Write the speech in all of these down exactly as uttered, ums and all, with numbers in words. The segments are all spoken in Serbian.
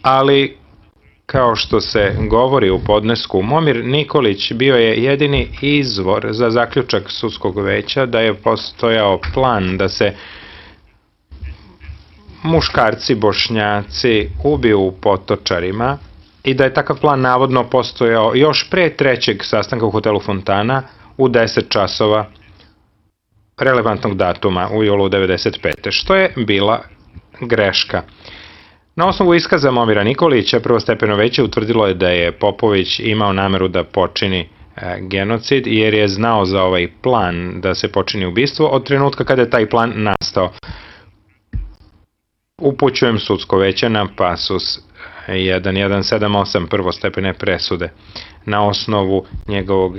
ali kao što se govori u podnesku, Momir Nikolić bio je jedini izvor za zaključak sudskog veća da je postojao plan da se muškarci Bošnjaci ubiju u Potočarima i da je takav plan navodno postojao još pre trećeg sastanka u hotelu Fontana u deset časova relevantnog datuma u julu devedeset pete. što je bila greška. Na osnovu iskaza Momira Nikolića, prvostepeno veće utvrdilo je da je Popović imao nameru da počini genocid, jer je znao za ovaj plan da se počini ubistvo od trenutka kada je taj plan nastao. Upućujem sudsko veće na pasus jedan jedan sedam osam prvostepene presude. Na osnovu njegovog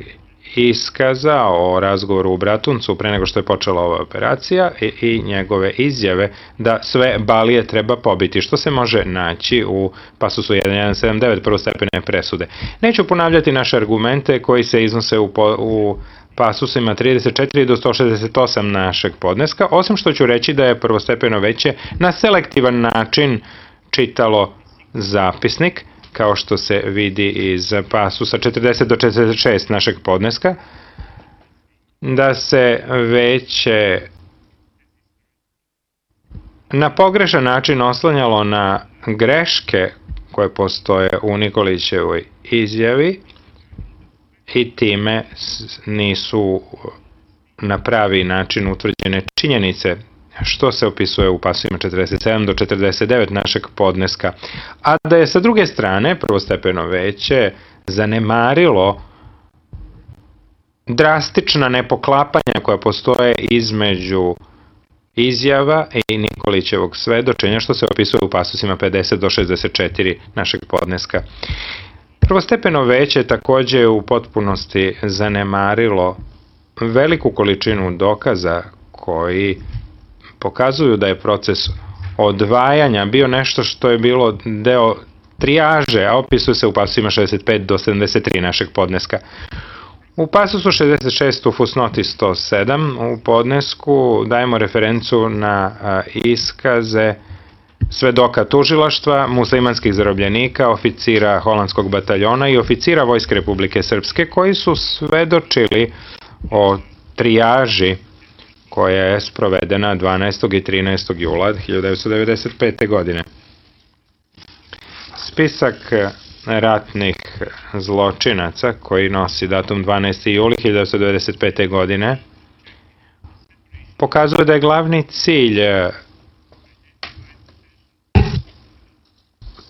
iskaza o razgovoru u Bratuncu pre nego što je počela ova operacija i, i njegove izjave da sve balije treba pobiti, što se može naći u pasusu jedan jedan sedam devet prvostepene presude. Neću ponavljati naše argumente koji se iznose u, po, u pasusima trideset četiri do sto šezdeset osam našeg podneska, osim što ću reći da je prvostepeno veće na selektivan način čitalo zapisnik, kao što se vidi iz pasusa četrdeset do četrdeset šest našeg podneska, da se veće na pogrešan način oslanjalo na greške koje postoje u Nikolićevoj izjavi i time nisu na pravi način utvrđene činjenice, što se opisuje u pasovima četrdeset sedam do četrdeset devet našeg podneska, a da je sa druge strane prvostepeno veće zanemarilo drastična nepoklapanja koja postoje između izjava i Nikolićevog svedočenja, što se opisuje u pasusima pedeset do šezdeset četiri našeg podneska. Prvostepeno veće takođe je u potpunosti zanemarilo veliku količinu dokaza koji pokazuju da je proces odvajanja bio nešto što je bilo deo trijaže, a opisuje se u pasusima šezdeset pet do sedamdeset tri našeg podneska. U pasusu šezdeset šest u fusnoti sto sedam u podnesku dajemo referencu na iskaze svedoka tužilaštva, muslimanskih zarobljenika, oficira holandskog bataljona i oficira Vojske Republike Srpske koji su svedočili o trijaži koja je sprovedena dvanaestog i trinaestog jula hiljadu devetsto devedeset pete. godine. Spisak ratnih zločinaca koji nosi datum dvanaesti juli hiljadu devetsto devedeset pete. godine pokazuje da je glavni cilj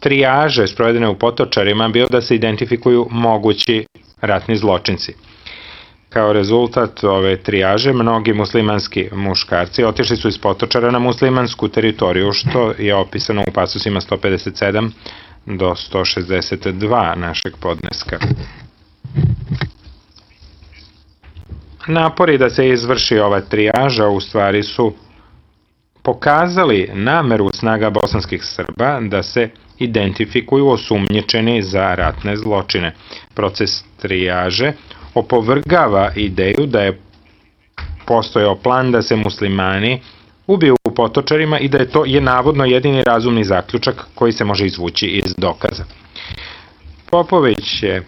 trijaže sprovedene u Potočarima bio da se identifikuju mogući ratni zločinci. Kao rezultat ove trijaže, mnogi muslimanski muškarci otišli su iz Potočara na muslimansku teritoriju, što je opisano u pasusima sto pedeset sedam do sto šezdeset dva našeg podneska. Napori da se izvrši ova trijaža u stvari su pokazali nameru snaga bosanskih Srba da se identifikuju osumnjičeni za ratne zločine. Proces trijaže opovrgava ideju da je postojao plan da se muslimani ubiju u Potočarima i da je to je navodno jedini razumni zaključak koji se može izvući iz dokaza. Popović je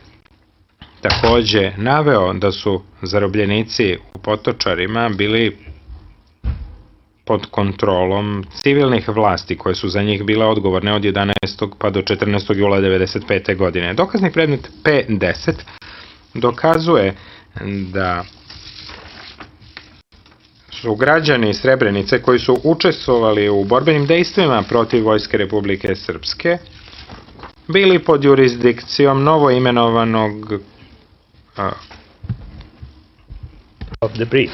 takođe naveo da su zarobljenici u Potočarima bili pod kontrolom civilnih vlasti koje su za njih bile odgovorne od jedanaestog pa do četrnaestog jula devedeset pete. godine. Dokazni predmet P deset dokazuje da su građani Srebrenice koji su učestvovali u borbenim dejstvima protiv Vojske Republike Srpske bili pod jurisdikcijom novoimenovanog uh, of the brief.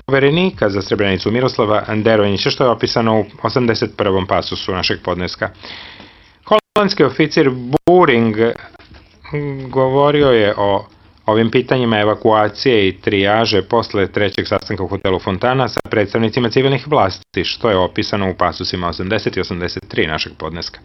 poverenika za Srebrenicu Miroslava Anderonjića, što je opisano u osamdeset prvom pasusu našeg podneska. Holandski oficir Buring govorio je o ovim pitanjima evakuacije i trijaže posle trećeg sastanka u hotelu Fontana sa predstavnicima civilnih vlasti, što je opisano u pasusima osamdeset i osamdeset tri našeg podneska.